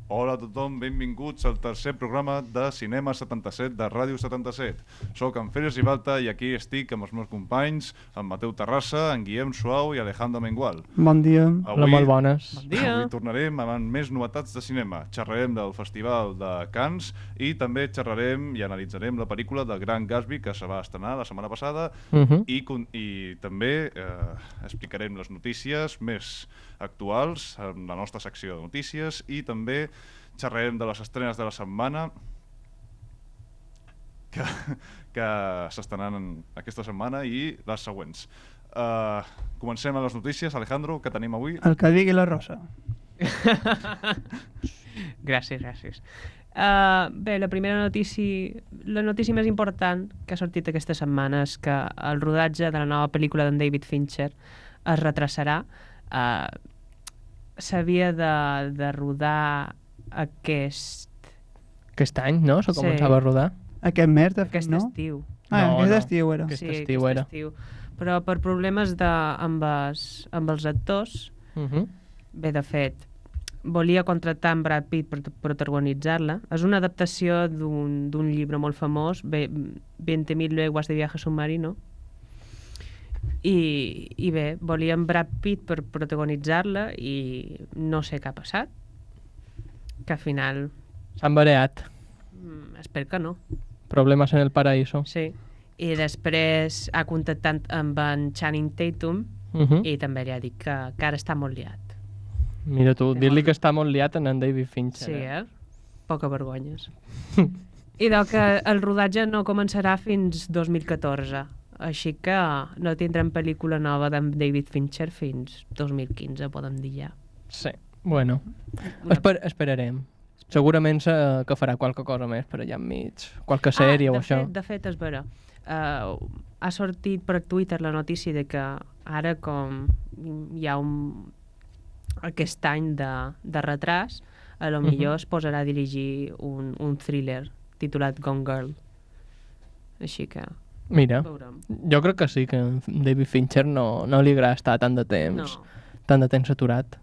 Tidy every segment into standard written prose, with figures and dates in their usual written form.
Hola a tothom, benvinguts al tercer programa de Cinema 77 de Ràdio 77. Soc en Félix Ribalta i aquí estic amb els meus companys, en Mateu Terrassa, en Guillem Suau i Alejandro Mengual. Bon dia. Hola, molt bones. Bon dia. Avui tornarem amb més novetats de cinema. Xerrarem del Festival de Cannes i també xerrarem i analitzarem la pel·lícula de Gran Gatsby que se va estrenar la setmana passada i també explicarem les notícies més actuals en la nostra secció de notícies i també xerrarem de les estrenes de la setmana que s'estrenaran aquesta setmana i les següents. Comencem amb les notícies. Alejandro, què tenim avui? El que digui la Rosa. Gràcies. Bé, la notícia més important que ha sortit aquesta setmana és que el rodatge de la nova pel·lícula d'en David Fincher es retrasarà. S'havia de rodar aquest any, no? Se començava a rodar. Aquest mes, de fet, aquest no? estiu. Aquest estiu era. Aquest Sí, estiu era. estiu. Però per problemes amb els actors, bé, de fet, volia contractar en Brad Pitt per protagonitzar-la. És una adaptació d'un llibre molt famós, 20.000 leguas de viaje submarino, i bé, volia en Brad Pitt per protagonitzar-la i no sé què ha passat, que al final S'han bareat. espero que no. Problemes en el paraíso. Sí. I després ha contactat amb en Channing Tatum i també li ha dit que ara està molt liat. Mira tu, dir-li que està molt liat en David Fincher. Sí, Poca vergonyes. I que el rodatge no començarà fins 2014, així que no tindrem pel·lícula nova d'en David Fincher fins 2015, podem dir ja. Sí, bueno. Esperarem. Segurament que farà qualque cosa més per allà enmig. Qualque sèrie o això. De fet, és vera. Ha sortit per Twitter la notícia de que ara, com hi ha aquest any de retras, a lo millor es posarà a dirigir un thriller titulat Gone Girl. Així que Mira, veurem. jo crec que sí, que a David Fincher no li agrada estar tant de temps aturat.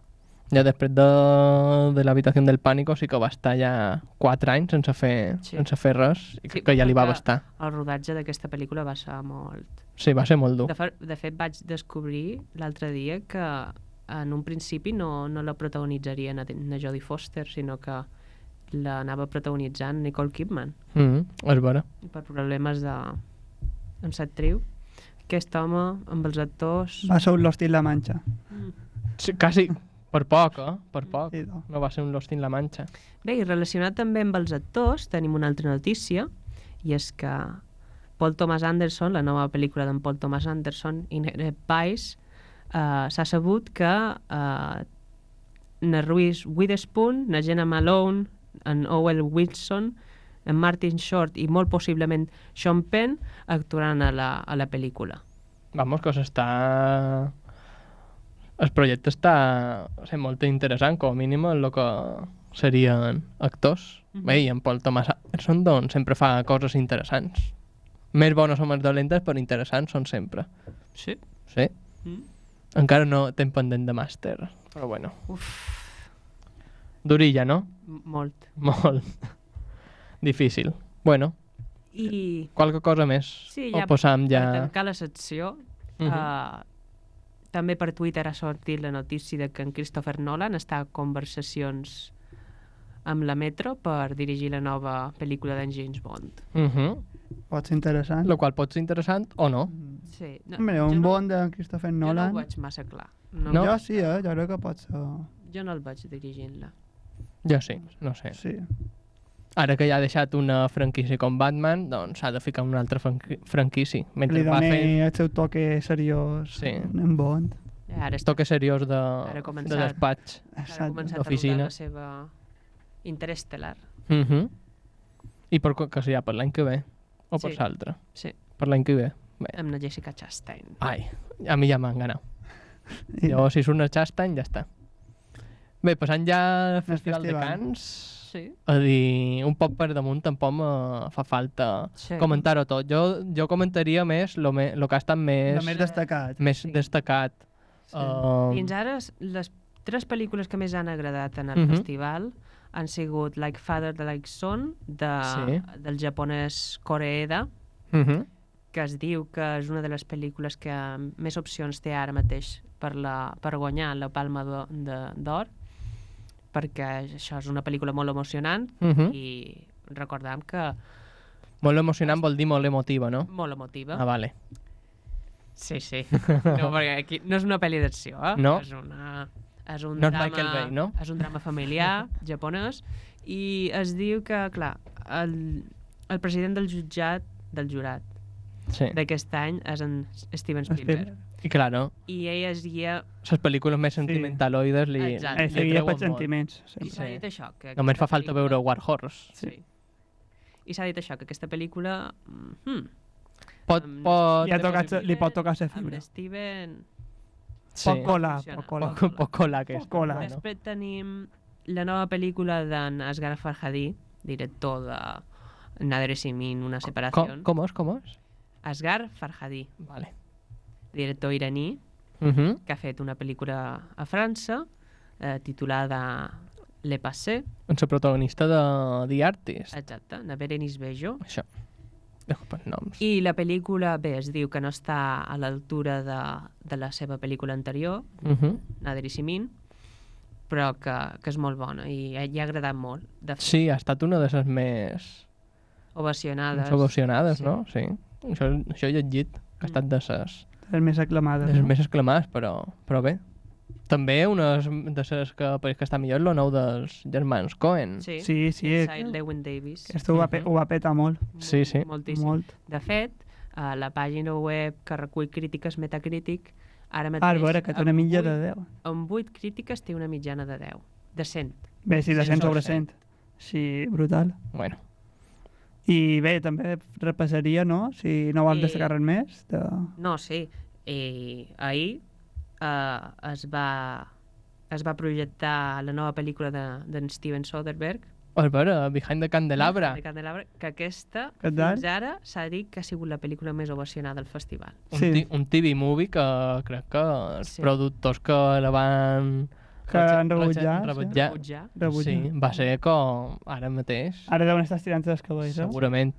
Ja després de l'habitació del pànico sí que va estar ja 4 anys sense fer res i crec que ja li va bastar. El rodatge d'aquesta pel·lícula va ser molt... Sí, va ser molt dur. De fet, vaig descobrir l'altre dia que en un principi no la protagonitzarien a Jodie Foster, sinó que l'anava protagonitzant Nicole Kidman. És vera. Per problemes amb l'actriu. Aquest home, amb els actors... Va ser un Lost in la Mancha. Sí, quasi... Per poc, Per poc. Sí, no. No va ser un Lost in la Mancha. Bé, i relacionat també amb els actors, tenim una altra notícia, i és que Paul Thomas Anderson, la nova pel·lícula d'en Paul Thomas Anderson, Inherent Vice, s'ha sabut que na Reese Witherspoon, na Jenna Malone, en Owen Wilson, en Martin Short i molt possiblement Sean Penn actuaran a la pel·lícula. Vamos, que s'està... El projecte està sent molt interessant, com a mínim en el que serien actors. Bé, i en Paul Thomas Anderson doncs, sempre fa coses interessants. Més bones o més dolentes, però interessants són sempre. Sí? Sí? Encara no tenc pendent de màster, però bueno. Durilla, no? Molt. Molt. Difícil. Bueno, I... qualque cosa més. Sí, o posam ja... Per tancar la secció, també per Twitter ha sortit la notícia de que en Christopher Nolan està a conversacions amb la Metro per dirigir la nova pel·lícula d'en James Bond. Pot ser interessant. Lo qual pot ser interessant o no. Sí. Hombre, un Bond de Christopher Nolan... Jo no ho veig massa clar. No? Jo sí, jo crec que pot ser... Jo no el veig dirigint-la. Jo sí, no sé. Sí. Ara que ja ha deixat una franquícia com Batman, doncs s'ha de ficar una altra franquícia. Mentre Li va doni fent el seu toque seriós en Bond. Ara toque seriós de despatx. Ara ha començat a d'oficina. rodar la seva Interestelar. I que serà per l'any que ve? O per Sí. l'altre? Sí, Per l'any que ve? Bé. amb la Jessica Chastain. Ai, a mi ja m'han ganat. Jo, si surt una Chastain, ja està. Bé, passant ja al Festival de Cannes, Sí. a dir, un poc per damunt tampoc me fa falta Sí. comentar-ho tot. Jo comentaria més lo que ha estat més El més destacat. Sí. destacat. Sí. Fins ara, les 3 pel·lícules que més han agradat en el Mhm. festival han sigut Like Father, Like Son, Sí. del japonès Koreeda, que es diu que és una de les pel·lícules que més opcions té ara mateix per guanyar la Palma d'Or, perquè això és una pel·lícula molt emocionant i recordem que... Molt emocionant vol dir molt emotiva, no? Molt emotiva. Ah, vale. Sí. No, perquè aquí no és una pel·li d'acció, No. És un No és drama, Michael Bay, no? És un drama familiar japonès i es diu que, clar, el president del jurat Sí. d'aquest any és en Steven Spielberg. I claro, I ell es guia... les pel·lícules més sentimentaloides li Exacte. Seguia treuen pels molt. sentiments. I s'ha Sí. dit això. Que Només fa aquesta falta veure War Horse. Sí. I s'ha dit això, que aquesta pel·lícula... Pot... Li pot tocar ser Amb fibra. Steven... Sí. Pot colar, Funciona. pot colar. Poc cola, aquesta. Poc cola. Bueno. Després tenim la nova pel·lícula d'en Asghar Farhadi, director de Nader Simin, Una separació. Com és? Asghar Farhadi, Vale. director iraní, que ha fet una pel·lícula a França titulada Le Passé. En la protagonista de The Artist. Exacte, na Berenice Bejo. Això. Dejo per noms. I la pel·lícula, bé, es diu que no està a l'altura de la seva pel·lícula anterior, Nader Simin, però que és molt bona i ha agradat molt. De fet, Sí, ha estat una de les més ovacionades. no? Sí. Això he llegit, que ha estat de Les més aclamades. les no? més exclamades, però bé. També una de les que pareix que està millor és el nou dels germans Coen. Sí, Sí. Inside Llewyn Davis. Esto ho va petar molt. Sí. Moltíssim. Molt. De fet, a la pàgina web que recull crítiques Metacritic, ara mateix... A veure, que té una mitja de 10. Amb 8 crítiques té una mitjana de 10. De 100. Bé, sí, de 100 sobre 100. Sí, brutal. Bueno, I bé, també repassaria, no? Si no vols I- destacar res més. No, sí. I ahir es va projectar la nova pel·lícula d'en Steven Soderbergh, a veure, Behind the Candelabra. de Candelabra, que aquesta, Què tal? fins ara, s'ha dit que ha sigut la pel·lícula més ovacionada del festival. Sí. Un TV movie que crec que els Sí. productors que la van Que han rebutjat, rebutjar. Rebutjar. Sí, va ser com ara mateix, Ara deuen estar estirant els cabells, eh? segurament.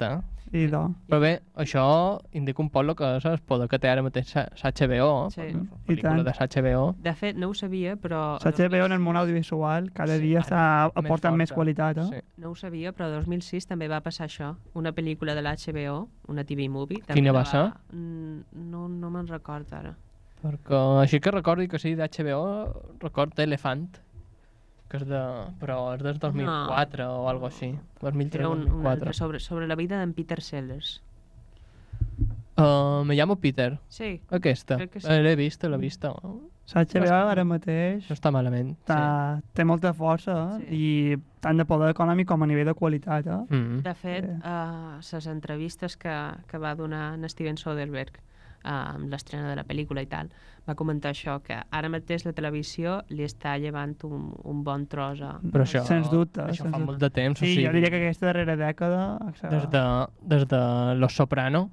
I do. Però bé, això indica un poc el que és el poder que té ara mateix l'HBO, Sí. la I pel·lícula tant. de l'HBO. De fet, no ho sabia, però... HBO en el món audiovisual cada Sí, dia ara aporta més més forta. qualitat, eh? Sí. No ho sabia, però el 2006 també va passar això. Una pel·lícula de l'HBO, una TV movie. també Quina la va ser? No me'n recordo ara. Perquè així que recordi que sí, d'HBO, record Elephant, que és però és del 2004 o algo així. 2003 Era una altra 2004. sobre la vida d'en Peter Sellers. Me llamo Peter. Sí, Aquesta. Crec que sí. L'he vist. HBO ara mateix No està malament. té molta força Sí. i tant de poder econòmic com a nivell de qualitat, eh? De fet, Sí. les entrevistes que va donar en Steven Soderbergh amb l'estrena de la pel·lícula i tal, va comentar això, que ara mateix la televisió li està llevant un bon tros a... Però això, Sens dubte, això sens fa dubte. molt de temps. Sí, o sigui, jo diria que aquesta darrera dècada... des de Los Soprano,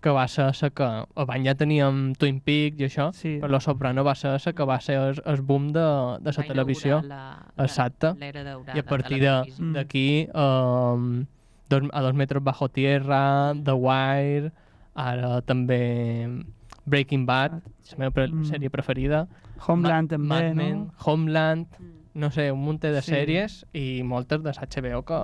que va ser la que... Abans ja teníem Twin Peaks i això, Sí. però Los Soprano va ser la que va ser el boom de la va televisió. inaugurar Exacte. l'era daurada I a partir de la televisió. d'aquí, a 2 metres bajo tierra, The Wire, ara també Breaking Bad, la meva sèrie preferida. Homeland també, Mad no? Men, Homeland, Mm. no sé, un munt de Sí. sèries i moltes de HBO que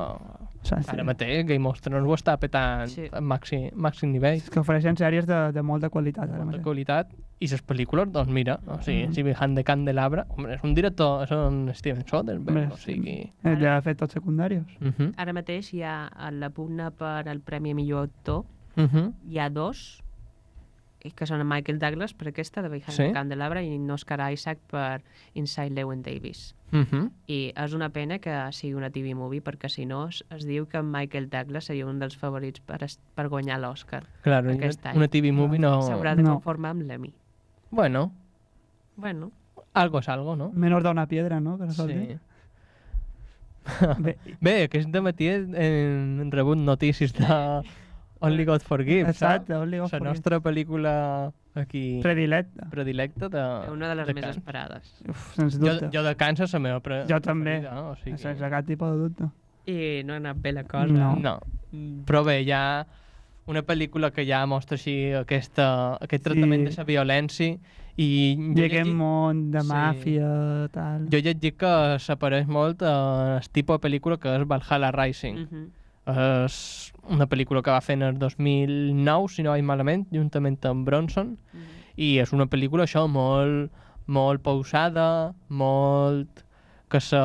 Sí. ara mateix Game of Thrones ho està petant Sí. a màxim nivell, És que ofereixen sèries de molta qualitat ara molta mateix. qualitat, i les pel·lícules, doncs mira, o sigui, si Behind the Candelabra, home, és un director, és un Steven Soderbergh, Hombre, o sigui... Ja ha fet tots secundaris. Ara mateix hi ha a la pugna per al Premi a Millor Actor, hi ha 2, que són en Michael Douglas per aquesta de Behind Sí? the Candelabra i en Oscar Isaac per Inside Llewyn Davis. I és una pena que sigui una TV movie perquè si no es diu que en Michael Douglas seria un dels favorits per guanyar l'Oscar. Claro, Aquest any. una TV movie no... S'haurà de No. conformar amb l'Emmy. Bueno, Bueno, algo es algo, no? Menor d'una piedra, no? Que no sol Sí. dir. Bé, Bé, aquest matí hem rebut notícies Only God Forgives, Exacte, Only God la Forgives. nostra pel·lícula aquí Predilecta. de... Una de les de més Cannes. esperades. Uf, sens Jo, dubte. jo de Cannes és la meva Jo també. preferida, o sigui... Sense cap tipus de dubte. I no ha anat bé la cosa. No. No, però bé, hi ha una pel·lícula que ja mostra així aquest tractament de la violència i I aquest món de Sí. màfia, tal. jo he llegit que s'apareix molt el tipus de pel·lícula que és Valhalla Rising. És una pel·lícula que va fer en el 2009, si no vaig malament, juntament amb Bronson, i és una pel·lícula això molt, molt pausada, molt que se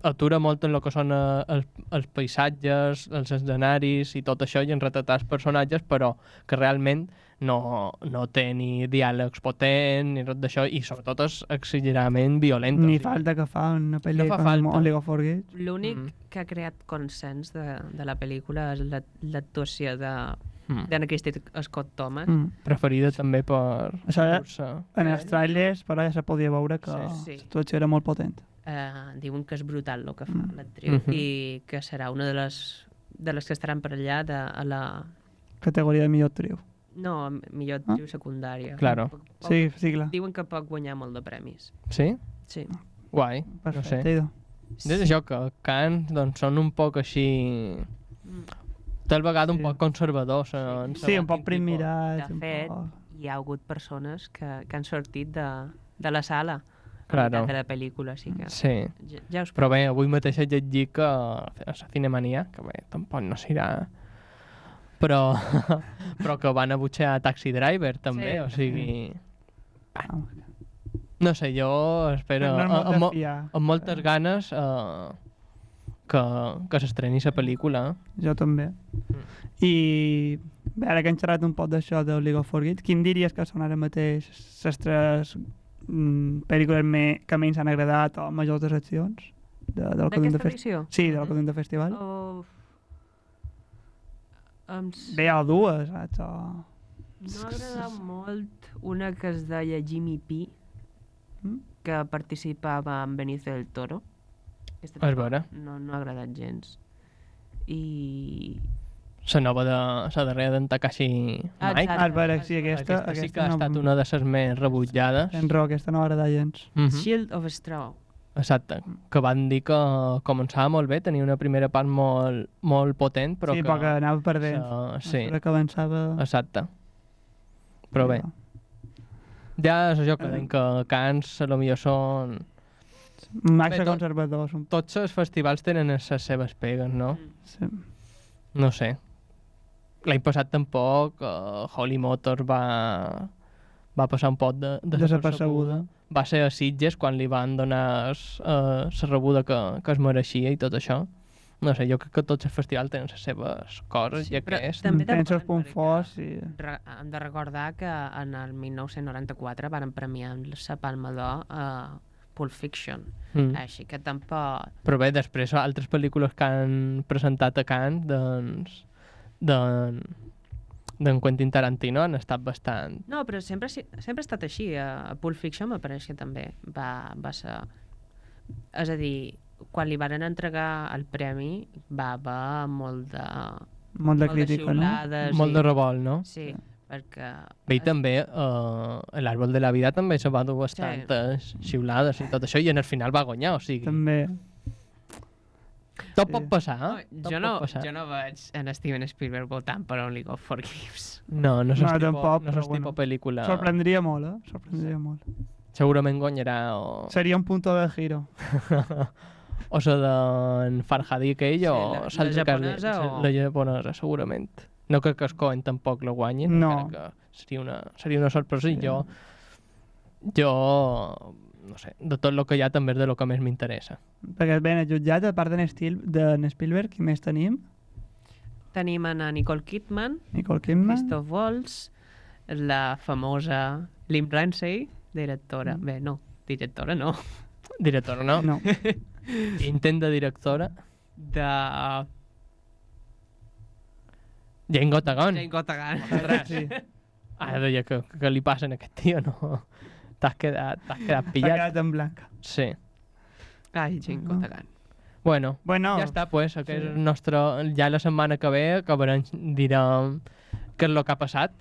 atura molt en el que són els paisatges, els escenaris i tot això, i en retratar els personatges, però que realment no té ni diàlegs potents ni res d'això, i sobretot és exageradament violent. Ni falta que fa una pel·lícula No fa falta. com Only God Forgives. L'únic que ha creat consens de la pel·lícula és l'actuació d'Anna Christie Scott Thomas. Preferida també per... Això era- Ursa. En els trailers, però ja se podia veure que Sí. l'actuació era molt potent. Diuen que és brutal el que fa l'actriu i que serà una de les que estaran per allà a la... Categoria de millor actriu. No, millor actriu secundària. Claro. Sí, sí, clar. Diuen que pot guanyar molt de premis. Sí? Sí. Guai, Perfecte, no sé. idò. És això, que Cannes doncs, són un poc així... Tal vegada un Sí. poc conservadors. Sí, un poc primirats. De fet, hi ha hagut persones que han sortit de la sala Claro. de la pel·lícula, així que Sí. ja us Però bé, avui mateix he llegit que a la Cinemania, que bé, tampoc no serà... Però, però que van a butxar Taxi Driver, també, Sí. o sigui... Ah, No sé, jo espero no és molt de fiar. amb moltes ganes que s'estreni la pel·lícula. Jo també. I bé, ara que hem xerrat un poc d'això del League of Forget, quin diries que són ara mateix les tres pel·lícules que menys han agradat o majors decepcions del que duem de d'aquesta edició? Sí, del que duem de festival. Uf. Bé, hi ha dues, saps? O... No m'ha agradat molt una que es deia Jimmy P, que participava amb Benicio del Toro. Aquesta És tampoc vera. no ha agradat gens. I... La nova de la darrera d'en Takashi Mike. Ah, veure, sí, aquesta sí que ha estat una de les més rebutjades. En rock, aquesta no m'agrada gens. Shield of Straw. Exacte, que van dir que començava molt bé, tenia una primera part molt, molt potent, però Sí, que... però que anava perdent. Sí, Però que avançava... exacte. Però bé, ja és això que deim que Cannes potser són... Màxim Bé, conservadors. Tots els festivals tenen les seves pegues, no? Sí. No sé. L'any passat tampoc Holly Motors va passar un poc Desapercebuda. Va ser a Sitges quan li van donar la rebuda que es mereixia i tot això. No sé, jo crec que tots els festivals tenen les seves coses i però aquest... també Tens els depèn, punts perquè forts i... Hem de recordar que en el 1994 van premiar amb la Palma d'Or a Pulp Fiction. Així que tampoc... Però bé, després altres pel·lícules que han presentat a Cannes, doncs... d'en Quentin Tarantino han estat bastant... No, però sempre ha estat així. A Pulp Fiction m'apareix que també va ser... És a dir, quan li van entregar el premi va haver molt de... Molt de crítica, no? xiulades Molt de revolt, no? Sí, perquè... Bé, i també l'Àrbol de la Vida també se va dur bastantes xiulades i tot això, i en el final va guanyar, o sigui... També. Tot pot passar, tot jo pot passar. no veig en Steven Spielberg votant per Only God Forgives. No, no és No, el tipus, tampoc, no és però el tipus bueno. pel·lícula... Sorprendria molt, Sorprendria molt. Segurament guanyarà o... Seria un punto de giro. o la d'en Farhadi aquell Sí, o la l'altre que japonesa o- la japonesa, segurament. No crec que els Coen tampoc la guanyin, No. encara que seria una sorpresa i jo, no sé, de tot el que hi ha també és de lo que més m'interessa. Perquè ben jutjat, a part d'en Spielberg, qui més tenim? Tenim a Nicole Kidman, Nicole Kidman. Christoph Waltz, la famosa Lim Ramsey, directora. Bé, no, directora no. Directora, no? No. Intent de directora. De Jane Gotagon. Jane Gotagan. Sí. Ara deia que li passa a aquest tio, no? T'has quedat T'ha pillat. quedat en blanc. Sí. Ai, Jane Gotagan. Bueno, Bueno, ja està, pues, sí. aquest és el nostre... Ja la setmana que ve acabarem, direm què és el que ha passat.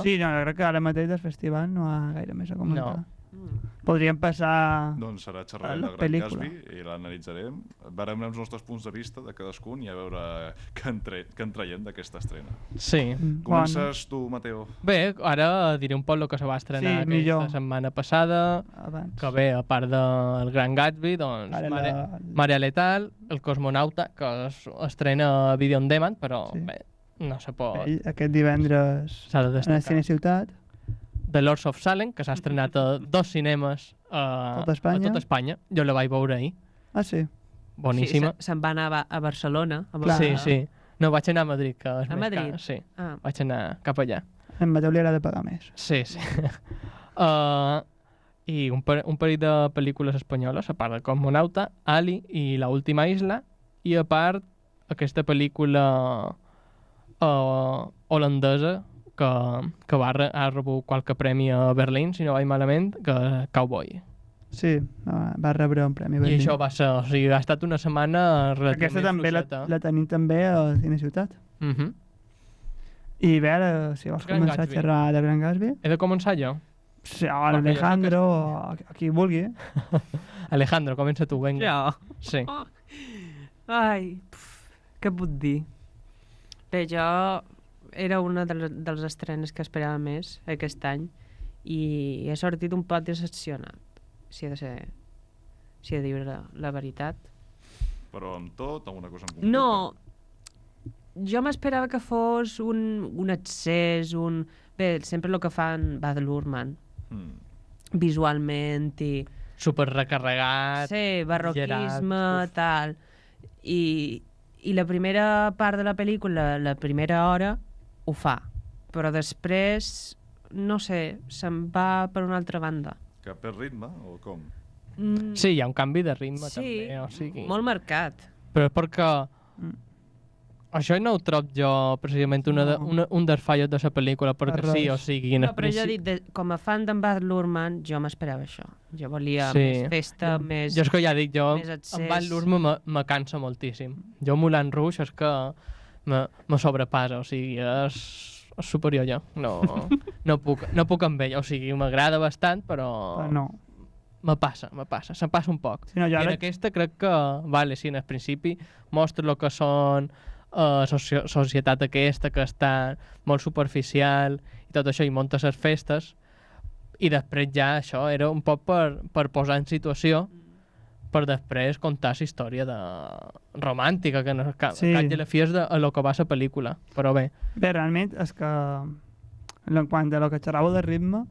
Sí, no, jo crec que ara mateix del festival no hi ha gaire més a comentar. No. Podríem passar... Doncs serà xerrarem la de Gran pel·lícula. Gatsby i l'analitzarem. Veurem els nostres punts de vista de cadascun i a veure què en traiem d'aquesta estrena. Sí. Comences tu, Mateo. Bé, ara diré un poc el que se va estrenar Sí, millor. aquesta setmana passada, Abans. que bé, a part del Gran Gatsby, doncs Ara Marea Letal, El Cosmonauta, que es estrena a Video On Demand, però Sí. bé, no se pot... Aquest divendres S'ha de en el destacar. Cine Ciutat. The Lords of Salem, que s'ha estrenat a 2 cinemes Tot Espanya. a tot Espanya. Jo la vaig veure ahir. Ah, sí. Boníssima. Sí, se'n va anar a Barcelona. Clar. Sí, sí. No, vaig anar a Madrid, que és A més Madrid? car. Sí, Ah. vaig anar cap allà. En Mateu li agrada pagar més. Sí, sí. I un parell de pel·lícules espanyoles, a part de Cosmonauta, Ali i La última isla, i a part aquesta pel·lícula holandesa que ha rebut qualque premi a Berlín, si no vaig malament, que Cowboy. Sí, va rebre un premi. I Berlín. això va ser, o sigui, ha estat una setmana relativament Aquesta també la tenim també al Cine Ciutat. I bé, ara, si vols Gran començar Gatsby. a xerrar de Gran Gatsby, He de començar jo? sí, o Alejandro, o a qui vulgui. Alejandro, comença tu, vinga. Jo. Sí. Ai, què puc dir? Bé, jo era una dels estrenes que esperava més aquest any i he sortit un poc decepcionat, si he de dir la veritat. Però amb tot, amb una cosa en concret. No, jo m'esperava que fos un excés, Bé, sempre el que fan Baz Luhrmann, visualment i... Super recarregat. Sí, barroquisme, Gerard, tal. I la primera part de la pel·lícula, la primera hora, ho fa. Però després, no sé, se'n va per una altra banda. Que perd ritme, o com? Sí, hi ha un canvi de ritme Sí, també, o sigui... molt marcat. Però és perquè... Això no ho trob jo precisament un dels fallos de la pel·lícula, perquè Res. sí, o sigui... En No, però jo he dit, com a fan d'en Baz Luhrmann, jo m'esperava això. Jo volia més festa, més... Jo és que ja dic, jo més accés. amb Van Luhrmann me cansa moltíssim. Jo Moulin Rouge és que me sobrepassa, o sigui, és superior jo. No puc amb ell, o sigui, m'agrada bastant, però No. me passa, se'm passa un poc. Sí, no, jo I en ara- aquesta crec que, vale, sí, en el principi mostra el que són societat aquesta que està molt superficial i tot això, i munta les festes, i després ja això era un poc per posar en situació per després contar la història romàntica, que no, Sí. cap de la fi és de lo que va la pel·lícula, però bé. Bé, realment és que en quant a lo que xerràveu de ritme,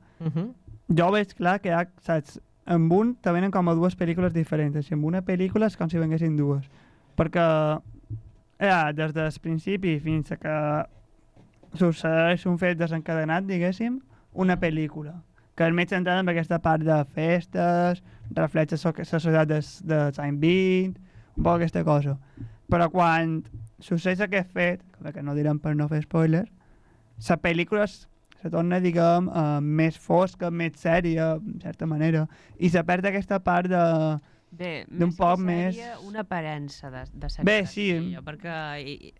jo veig clar que hi ha, saps, amb un te venen com a dues pel·lícules diferents, i amb una pel·lícula és com si venguessin dues. Perquè des del principi fins a que succeeix un fet desencadenat, diguéssim, una pel·lícula que és més centrada en aquesta part de festes, reflexa la societat dels anys 20, un poc aquesta cosa. Però quan succeeix aquest fet, que no direm per no fer spoiler, la pel·lícula se torna, diguem, més fosca, més sèria, en certa manera, i se perd aquesta part de... Bé, d'un més poc que més- sèrie, una aparença de seriositat. Bé, sí. Jo, perquè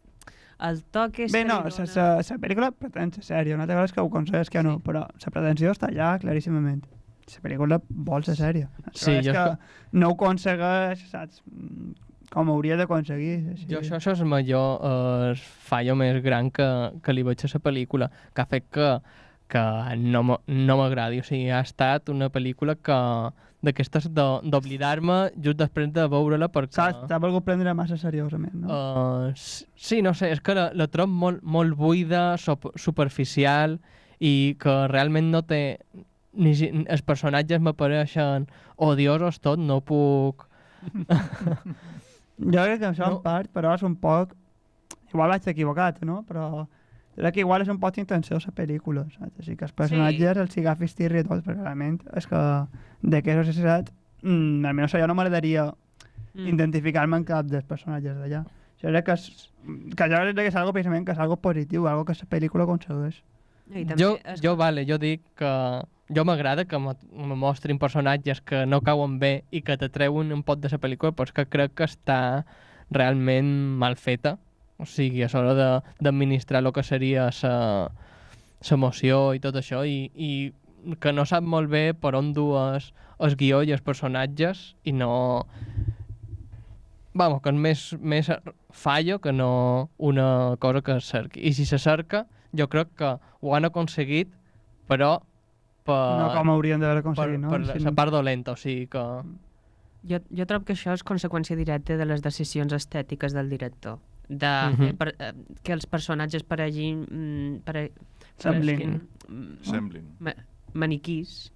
el toc és... Bé, no, la pel·lícula pretén ser sèria, una altra cosa és que ho aconsegueix que no, però la pretensió està allà claríssimament. La pel·lícula vol ser sèria. Sí, És jo que no ho aconsegueix, saps, com hauria d'aconseguir. Així. Jo això és el major fallo més gran que li veig a la pel·lícula, que ha fet que no m'agradi. O sigui, ha estat una pel·lícula d'aquestes d'oblidar-me just després de veure-la perquè... Saps, t'ha volgut prendre massa seriosament, no? Sí, no sé, és que la trobo molt buida, superficial, i que realment no té... Els personatges m'apareixen odiosos tot, no puc... Jo crec que això No. en part, però és un poc... Igual vaig equivocat, no? Però crec que igual és un poc intenció la pel·lícula, saps? Així que els personatges els agafis tirri i tot, perquè realment és que d'aquesta societat, almenys jo no m'agradaria identificar-me en cap dels personatges d'allà. Jo crec que jo crec que és algo precisament que és algo positiu, algo que la pel·lícula aconsegueix. I també Jo dic que jo m'agrada que me mostrin personatges que no cauen bé i que t'atreuen un pot de la pel·lícula, però és que crec que està realment mal feta. O sigui, a l'hora d'administrar el que seria l'emoció i tot això, i que no sap molt bé per on dur el guió i els personatges, i no... Vamos, que és més fallo que no una cosa que es cerqui. I si se cerca, jo crec que ho han aconseguit, però no com haurien d'haver aconseguit, no? Per la part dolenta, o sigui que... Jo trobo que això és conseqüència directa de les decisions estètiques del director. Que els personatges paregin... Semblin. Maniquís.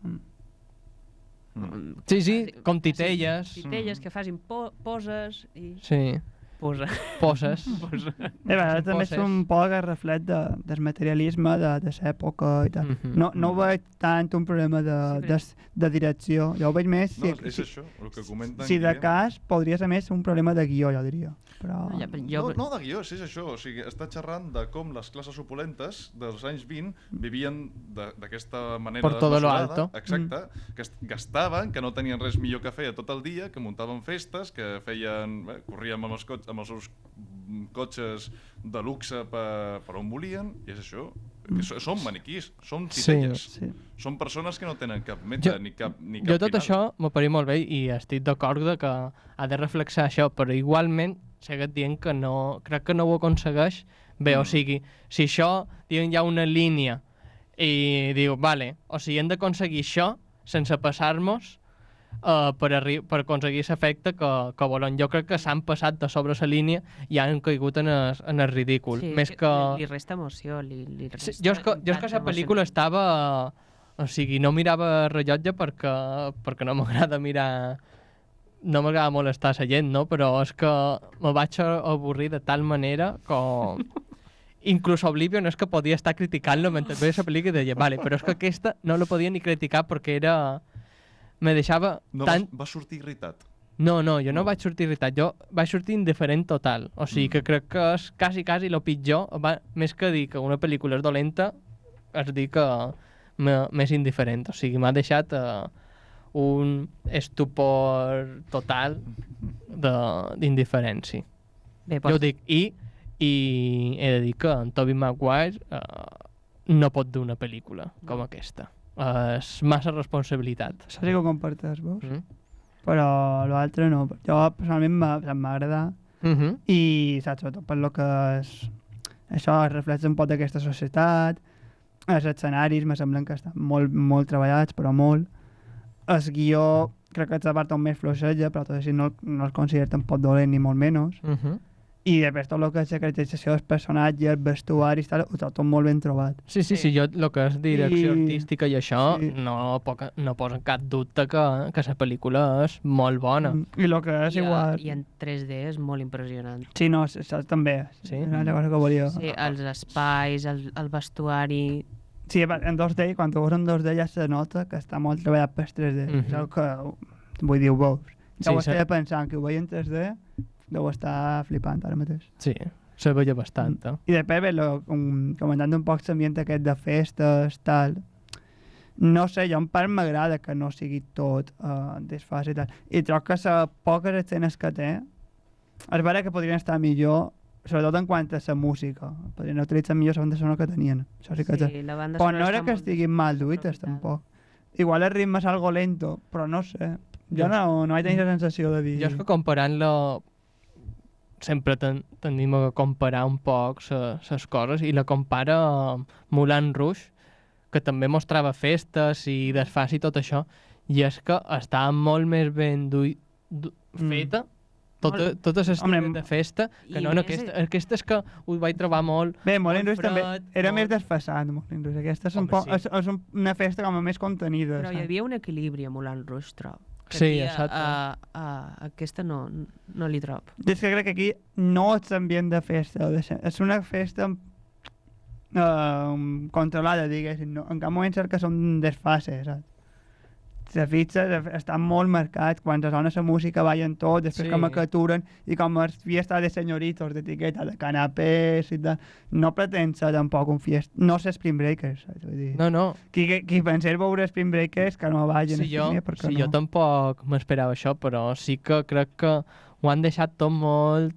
Sí, com titelles. Titelles que facin poses i... Sí. Poses. També és un poc el reflet del materialisme de l'època i tal. No veig tant un problema de direcció. Jo ho veig més... És això, el que comenten... Si de cas, podria ser més un problema de guió, jo diria. No de guió, és això. O sigui, està xerrant de com les classes opulentes dels anys 20 vivien d'aquesta manera desmesurada. Exacte. Que gastaven, que no tenien res millor que fer tot el dia, que muntaven festes, que corrien amb els seus cotxes de luxe per on volien, i és això. Són maniquís, són titelles. Són persones que no tenen cap meta ni cap final. Jo tot això m'ho parit molt bé i estic d'acord que ha de reflexar això, però igualment segueix dient que no, crec que no ho aconsegueix bé, o sigui, si això hi ha una línia i diu, vale, o sigui, hem d'aconseguir això sense passar-nos per aconseguir l'efecte que volen. Jo crec que s'han passat de sobre la línia i han caigut en el ridícul. Sí, més que... li resta emoció. Resta jo és que la pel·lícula estava... O sigui, no mirava el rellotge perquè no m'agrada mirar... No m'agrada molestar la gent, no? Però és que me vaig avorrir de tal manera com... Inclús Oblivion és que podia estar criticant-lo mentre veia la pel·lícula i deia, vale, però és que aquesta no la podia ni criticar perquè era... Me deixava tant... Va sortir irritat? No, jo no vaig sortir irritat, jo vaig sortir indiferent total. O sigui que crec que és quasi el pitjor, més que dir que una pel·lícula és dolenta, és dir que m'és indiferent. O sigui, m'ha deixat un estupor total d'indiferència. Jo ho dic, i he de dir que en Tobey Maguire no pot dur una pel·lícula com aquesta. És massa responsabilitat. Això sí que ho comparteix, veus? Però l'altre no. Jo personalment m'ha agradat i saps, sobretot per lo que és això reflexa un poc d'aquesta societat. Els escenaris me semblen que estan molt treballats, però molt. El guió crec que és la part on més fluixeja, però tot així no el considero tampoc dolent ni molt menys. I després tot el que és la caracterització dels personatges, vestuaris, tal, ho trobo tot molt ben trobat. Sí, jo el que és direcció artística i això no posa cap dubte que la pel·lícula és molt bona. I el que és igual... I en 3D és molt impressionant. Sí, no, això també. Sí? És una altra cosa que volia. Sí, els espais, el vestuari... Sí, en 2D, quan ho veus en 2D ja se nota que està molt treballat per 3D. És el que, vull dir, ho veus. Ja ho estava pensant, que ho veia en 3D... Deu estar flipant ara mateix. Sí, se veia bastant. I després, comentant un poc l'ambient aquest de festes, tal, no sé, jo en part m'agrada que no sigui tot desfàs i tal. I trobo que les poques escenes que té, és vera que podrien estar millor, sobretot en quant a la música. Podrien utilitzar millor la banda sonora que tenien. Això sí que la banda però no era que estiguin mal duites, tampoc. Igual el ritme és algo lento, però no sé. Jo no vaig tenir la sensació de dir... Jo és que comparant-lo sempre tendim a comparar un poc les coses i la compara amb Moulin Rouge, que també mostrava festes i desfàs i tot això, i és que estava molt més ben feta, totes les de festa, que no en aquesta. Aquesta és que ho vaig trobar molt... Bé, Moulin Rouge també era més desfasat, Moulin Rouge. Aquesta és una festa com a més contenida. Però hi havia un equilibri a Moulin Rouge, trobo. Sí, exacte. Aquesta no li trob. És que crec que aquí no és ambient de festa, és una festa controlada, diguéssim. No? En cap moment que són desfases, saps? la fitxa està molt marcat, quan sona la música ballen tot, després com que aturen, i com es fiesta de senyoritos, d'etiqueta, de canapés i tal, no pretén ser tampoc un fiesta, no ser Spring Breakers, saps? Vull dir, No. Qui pensés veure Spring Breakers que no vagin al cine, perquè no. Jo tampoc m'esperava això, però sí que crec que ho han deixat tot molt...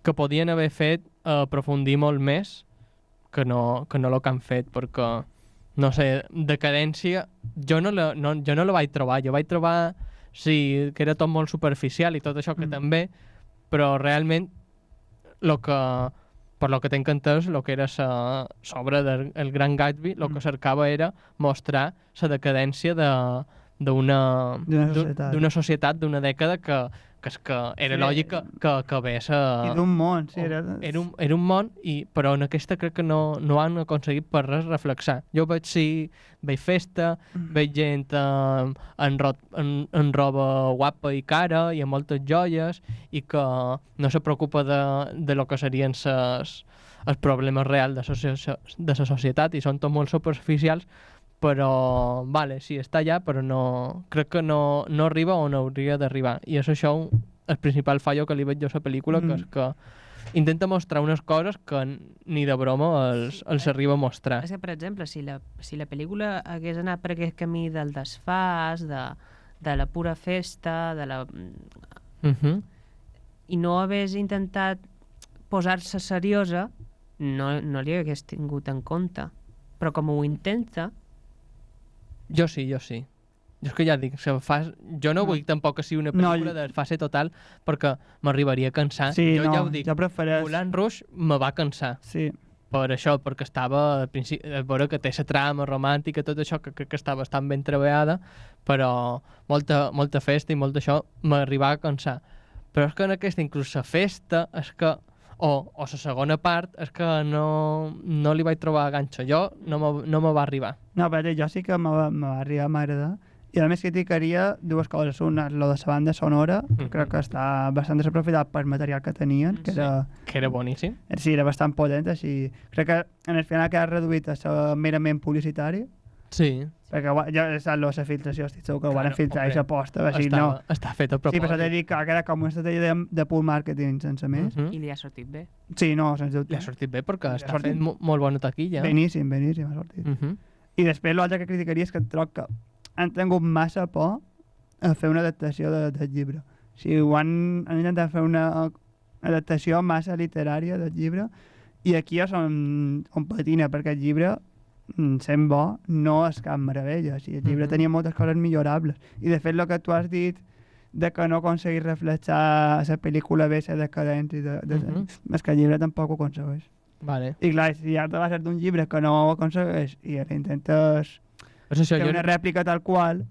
que podien haver fet aprofundir molt més que no el que han fet, perquè no sé, decadència jo no la vaig trobar, jo vaig trobar sí, que era tot molt superficial i tot això que també, però realment per lo que t'he entès, el que era l'obra del Gran Gatsby, el que cercava era mostrar la decadència d'una societat, d'una dècada que era lògic que hagués... I d'un món, sí. Era un món, però en aquesta crec que no han aconseguit per res reflexar. Jo veig festa, veig gent en roba guapa i cara i amb moltes joies i que no se preocupa de lo que serien els problemes reals de la societat i són tots molt superficials, però vale, sí, està allà, però crec que no arriba on hauria d'arribar. I és això el principal fallo que li veig jo a la pel·lícula, que és que intenta mostrar unes coses que ni de broma els arriba a mostrar. És que, per exemple, si la pel·lícula hagués anat per aquest camí del desfàs, de la pura festa, i no hagués intentat posar-se seriosa, no li hagués tingut en compte. Però com ho intenta... Jo sí. Jo és que ja dic, jo no vull tampoc que sigui una pel·lícula de fase total perquè m'arribaria a cansar. Sí, jo ja ho dic, Moulin Rouge me va cansar. Sí. Per això, perquè estava al principi, veure que té la trama romàntica, tot això, que crec que està bastant ben treballada, però molta festa i molt d'això m'arribava a cansar. Però és que en aquesta, inclús la festa, és que o la segona part és que no li vaig trobar ganxo. Jo no me va arribar. No, però jo sí que me va arribar, m'agradar. I a més criticaria dues coses. Una, lo de la banda sonora, crec que està bastant desaprofitat per material que tenien, que era boníssim. Sí, era bastant potent, així. Crec que en el final queda reduït a ser merament publicitari. Sí. Perquè ja saps la filtració, estic segur que ho van filtrar i s'aposta. Està fet a propòsit. Sí, però t'he dit que era com una estratègia de pull marketing, sense més. I li ha sortit bé. Sí, no, sense dubte. Li ha sortit bé perquè està fent molt bona taquilla. Beníssim ha sortit. I després l'altre que criticaria és que troc que han tingut massa por a fer una adaptació del llibre. O sigui, han intentat fer una adaptació massa literària del llibre i aquí ja on patina, perquè el llibre sent bo, no és cap meravella. O sigui, el llibre tenia moltes coses millorables. I de fet, el que tu has dit de que no aconseguís reflexar la pel·lícula bé, la decadència, és que el llibre tampoc ho aconsegueix. Vale. I clar, si ja te va ser d'un llibre que no ho aconsegueix i ara intentes fer una rèplica tal qual,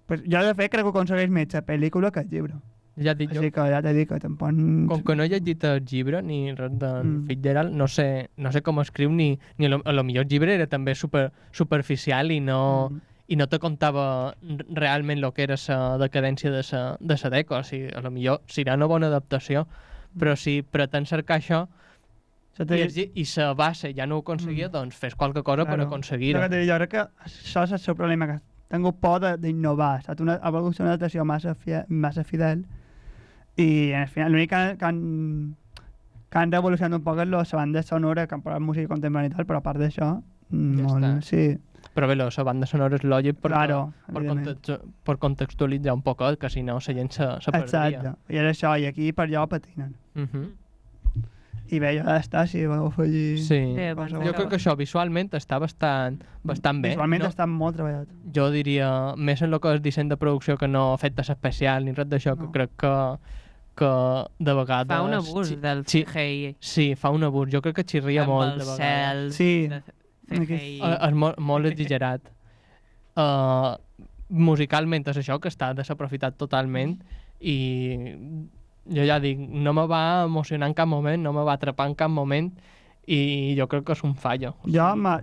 pues jo de fet crec que aconsegueix més la pel·lícula que el llibre. Ja dic jo. Així que ja t'he dit que tampoc... Com que no he llegit el llibre ni res d'en Fitzgerald, no sé com escriu ni a lo millor el llibre era també superficial i no te contava realment el que era la decadència de la dècada. O sigui, a lo millor serà una bona adaptació, però si pretén cercar això i la base ja no ho aconseguia, doncs fes qualque cosa per aconseguir-ho. Jo crec que això és el seu problema, que ha tingut por d'innovar, ha volgut ser una adaptació massa fidel i al final l'únic que han revolucionat un poc és la banda sonora, que han posat música contemporània i tal, però a part d'això, sí. Però bé, la banda sonora és lògic per contextualitzar un poc, que si no la gent se perdria. Exacte, i és això, i aquí per allò patinen. I bé, ja està, si voleu afegir... Sí, jo crec que això visualment està bastant bé. Visualment està molt treballat. Jo diria, més en el que és disseny de producció que no efectes especials ni res d'això, que crec que de vegades... Fa un abús del CGI. Sí, fa un abús. Jo crec que xirria molt de vegades. Sí. És molt exagerat. Musicalment és això, que està desaprofitat totalment i... Jo ja dic, no me va emocionar en cap moment, no me va atrapar en cap moment i jo crec que és un fallo. Jo m'ha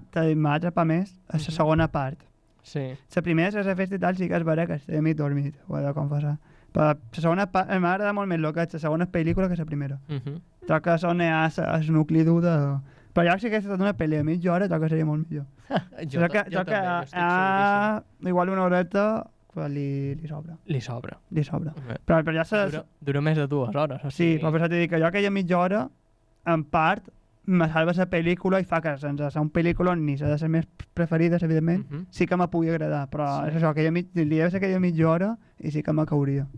atrapat més a la segona part. Sí. La primera, la festa i tal, sí que és vera que estic mig dormit, ho he de confessar. Però la segona part, m'agrada molt més el que és la segona pel·lícula que la primera. Troc que són el nucli dur de... Però ja si hagués estat una pel·li a mitja hora, troc que seria molt millor. jo també, jo estic seguríssim. Igual una horeta pues li sobra. Li sobra. Li sobra. Bé. Però ja Dura més de 2 hores. O Sí, sigui... però per això t'he dit que jo aquella mitja hora, en part, me salva la pel·lícula i fa que sense ser un pel·lícula ni s'ha de ser més preferides, evidentment, sí que me pugui agradar, però és això, li ha de ser aquella mitja hora i sí que me cauria.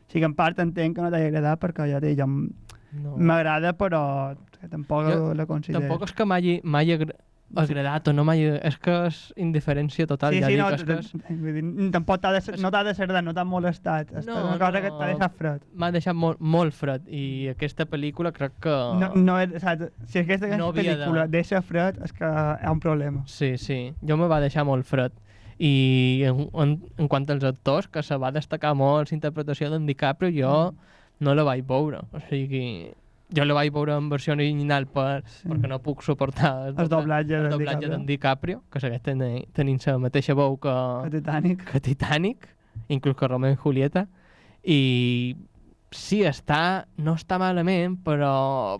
Sí que en part entenc que no t'hagi agradat perquè ja m'agrada, però que tampoc la considero. Tampoc és que m'hagi agradat o no m'hagi... És que és indiferència total. Sí, ja sí, dic, tampoc no t'ha de ser no t'ha molestat. És una cosa que t'ha deixat fred. M'ha deixat molt fred i aquesta pel·lícula crec que... Si aquesta pel·lícula deixa fred és que hi ha un problema. Sí, jo me va deixar molt fred. I en quant als actors, que se va destacar molt la interpretació d'en DiCaprio, jo no la vaig veure. O sigui, jo la vaig veure en versió original perquè no puc suportar el doblatge d'en DiCaprio, que segueix tenint la mateixa veu que Titanic, inclús que Romeo i Julieta. I sí, no està malament, però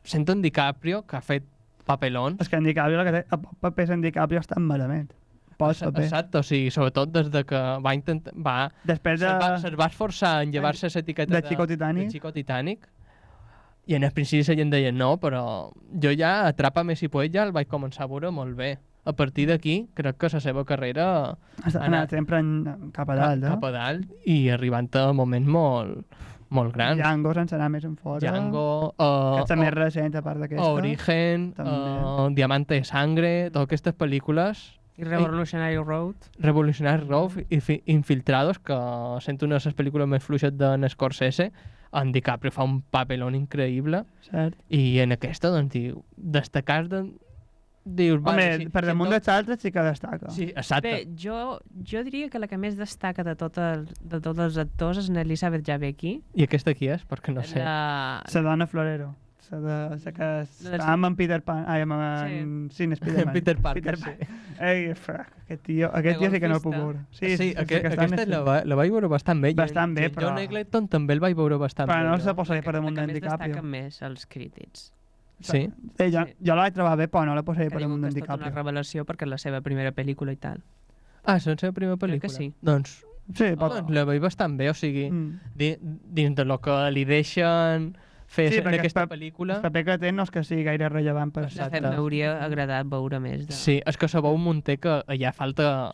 sento en DiCaprio, que ha fet papelons. És que en DiCaprio, els papers en DiCaprio estan malament. Exacte, o sigui, sobretot des de que va intentar... Se'l va esforçar en llevar-se l'etiqueta de Chico Titanic, i en el principi la gent deia no, però jo ja Atrapa-me si puedes ja el vaig començar a veure molt bé. A partir d'aquí, crec que la seva carrera ha anat sempre cap a dalt, cap a dalt, i arribant a moments molt grans. Django, sense anar més en fora. Django, aquesta més recent, a part d'aquesta. Origen, Diamante de Sangre, totes aquestes pel·lícules. I Revolutionary Road. Revolutionary Road i Infiltrados, que sento una de les pel·lícules més fluixes d'en Scorsese. En DiCaprio fa un papelón increïble. Cert. I en aquesta, doncs, destacar dius... Home, per damunt dels altres sí que destaca. Sí, exacte. Bé, jo diria que la que més destaca de tots els actors és Elizabeth Jabecki. I aquesta qui és? Perquè no sé. La dona Florero. La que està amb en Peter Pan. Sí, en Spiderman. Peter Parker, sí. Ei, aquest tio sí que no el puc veure. Sí, aquesta la vaig veure bastant bé. Bastant bé, però... John Eglinton també el vaig veure bastant bé. Però no se posa per damunt d'en DiCaprio. La que més destaquen més els crítics. Sí? Jo la vaig trobar bé, però no la posaré per damunt d'en DiCaprio. Que és tota una revelació perquè és la seva primera pel·lícula i tal. Ah, és la seva primera pel·lícula? Crec que sí. Doncs sí, la veig bastant bé, o sigui, dins de lo que li deixen fer en aquesta pel·lícula... El paper que té no és que sigui gaire rellevant per això. M'hauria agradat veure més. Sí, és que se veu un munter que allà falta.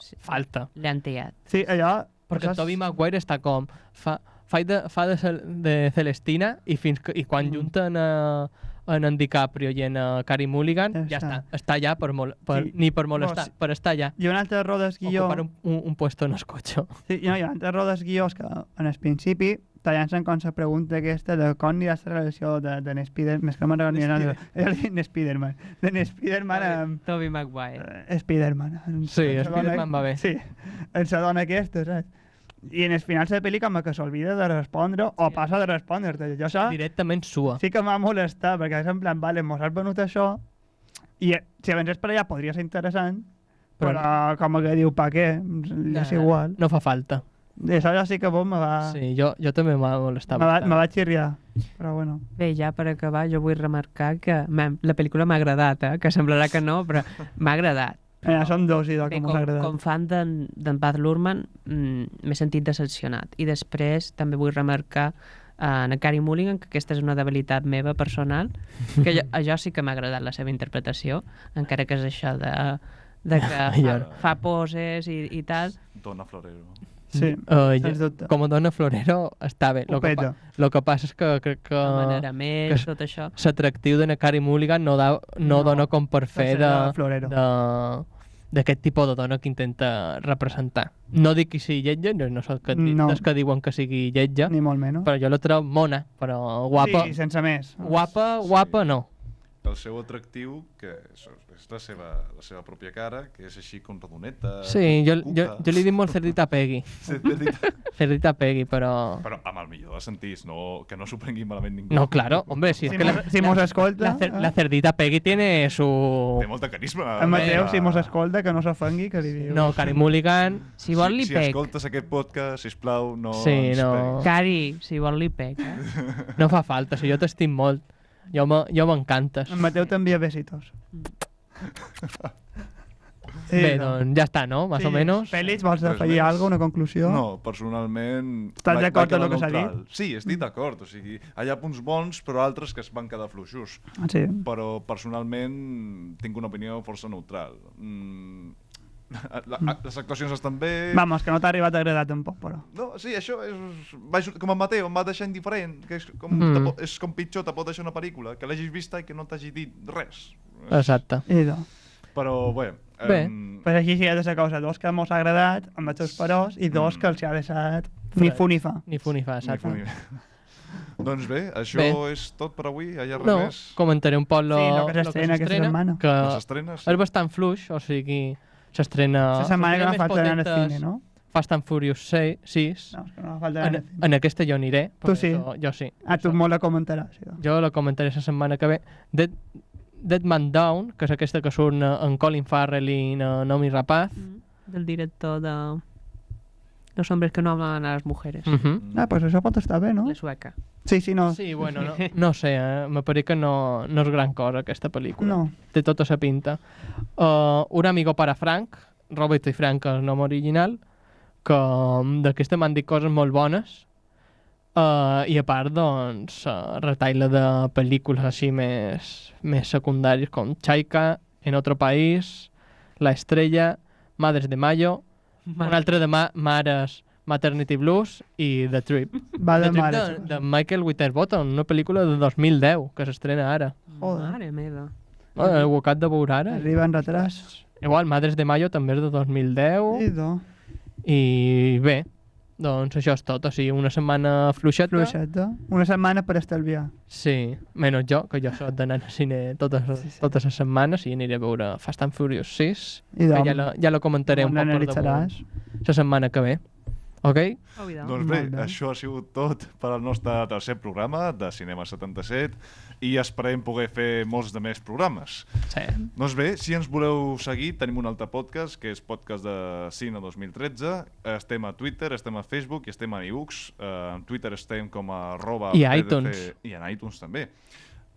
Li han tallat. Sí, allò... Perquè Tobey Maguire està com... Fa de Celestina i quan junten en DiCaprio i en Carey Mulligan, ja està. Està allà ni per molestar, per estar allà. I un altre error del guió... Ocupar un puesto en el cotxe. Sí, hi ha un altre error del guió que en el principi tallant-se'n com la pregunta aquesta de com anirà la relació d'en Spiderman, més que no me'n recordo d'en Spiderman. D'en Spiderman amb... Tobey Maguire. Spiderman. Sí, Spiderman va bé. Sí, en la dona aquesta, saps? I en el final de la pel·li com que s'olvida de respondre o passa de respondre-te. Jo això... Directament sua. Sí que m'ha molestat, perquè és en plan, vale, mos has venut això i si avances per allà podria ser interessant, però com que diu, pa què? És igual. No fa falta. Això ja sí que vos me va... Sí, jo també m'ha molestat. Me va xirriar, però bueno. Bé, ja per acabar, jo vull remarcar que la pel·lícula m'ha agradat, que semblarà que no, però m'ha agradat. Són dos idò que m'ha agradat. Com fan d'en Baz Luhrmann, m'he sentit decepcionat. I després també vull remarcar en Carey Mulligan, que aquesta és una debilitat meva personal, que jo sí que m'ha agradat la seva interpretació, encara que és això de que fa poses i tal. Dona Florero. Sí, sens dubte. Com a dona Florero està bé. El que passa és que crec que... manera més, tot això. L'atractiu de Carey Mulligan no dona com per fer d'aquest tipus de dona que intenta representar. No dic que sigui lletja, no soc dels que diuen que sigui lletja, ni molt menys. Però jo la trobo mona, però guapa. Sí, sense més. Guapa no. El seu atractiu, que és la seva pròpia cara, que és així com redoneta... Sí, jo li dic molt Cerdita Peggy. Cerdita Peggy, però... Però amb el millor dels sentits, que no s'ho prengui malament ningú. No, claro, hombre, si mos escolta... La Cerdita Peggy tiene su... Té molta carisma. El Mateu, si mos escolta, que no s'ofengui, que li diu... No, Carey Mulligan... Si vol li pec. Si escoltes aquest podcast, sisplau, no ens peguis. Carey, si vol li pec. No fa falta, si jo t'estim molt. Jo m'encantes. En Mateu t'envia besitos. Bé, doncs ja està, no? Más o menos. Fèlix, vols Res afegir més. alguna cosa, una conclusió? No, personalment... Estàs vaig d'acord quedar amb el que s'ha neutral. Sí, estic d'acord. O sigui, hi ha punts bons, però altres que es van quedar fluixos. Sí. Però personalment tinc una opinió força neutral. Les actuacions estan bé... Vamos, que no t'ha arribat a agradar tampoc, però. No, sí, això és... Com en Mateo, em va deixar indiferent. Que és com pitjor, te pot deixar una pel·lícula que l'hagis vista i que no t'hagi dit res. Exacte. Però, bé... Pues així sí, hi ha dues coses. Dos que mos ha agradat, amb els seus peròs, i dos que els ha deixat ni fu ni fa. Ni fu ni fa, exacte. Doncs bé, això és tot per avui. Hi ha res més? Comentaré un poc lo que s'estrena aquesta setmana. Que les estrenes? És bastant fluix, o sigui, s'estrena... La setmana que no falta anar al cine, no? Fast and Furious 6. No, és que no falta anar al cine. En aquesta jo aniré. Tu sí? Jo sí. Tu molt la comentaràs. Jo la comentaré la setmana que ve. Dead Man Down, que és aquesta que surt en Colin Farrell i Naomi Rapaz. Del director de Los hombres que no hablan a las mujeres. Pues això pot estar bé, no? La sueca. Sí, no. Sí, bueno, no sé, me pareix que no és gran cosa aquesta pel·lícula. No. Té tota sa pinta. Un amigo para Frank, Roberto i Frank, el nom original, que d'aquesta m'han dit coses molt bones. I a part, doncs, retaila de pel·lícules així més secundàries com Chaika, En otro país, La estrella, Madres de Mayo, un altre de Mares, Maternity Blues i The Trip. Va de Trip de Michael Winterbottom, una pel·lícula de 2010 que s'estrena ara. Mare meva. Ho acabat de veure ara. Arriba en retras. Igual, Madres de Mayo també és de 2010. I bé, doncs això és tot. O sigui, una setmana fluixeta. Una setmana per estalviar. Sí, menys jo, que jo soc d'anar al cine totes les setmanes i aniré a veure Fast and Furious 6. Que ja la comentaré un poc per damunt la setmana que ve. Ok? Doncs bé, això ha sigut tot per al nostre tercer programa de Cinema 77 i esperem poder fer molts de més programes. Sí. Doncs bé, si ens voleu seguir, tenim un altre podcast, que és Podcast de Cine 2013. Estem a Twitter, estem a Facebook i estem a iVoox. En Twitter estem com a I a iTunes. I en iTunes també.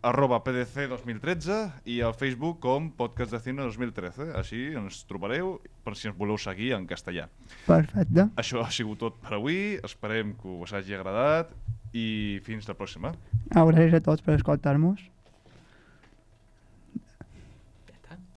@PDC 2013 i al Facebook com Podcast de Cine 2013. Així ens trobareu per si ens voleu seguir en castellà. Perfecte. Això ha sigut tot per avui. Esperem que us hagi agradat i fins la pròxima. Gràcies a tots per escoltar-nos.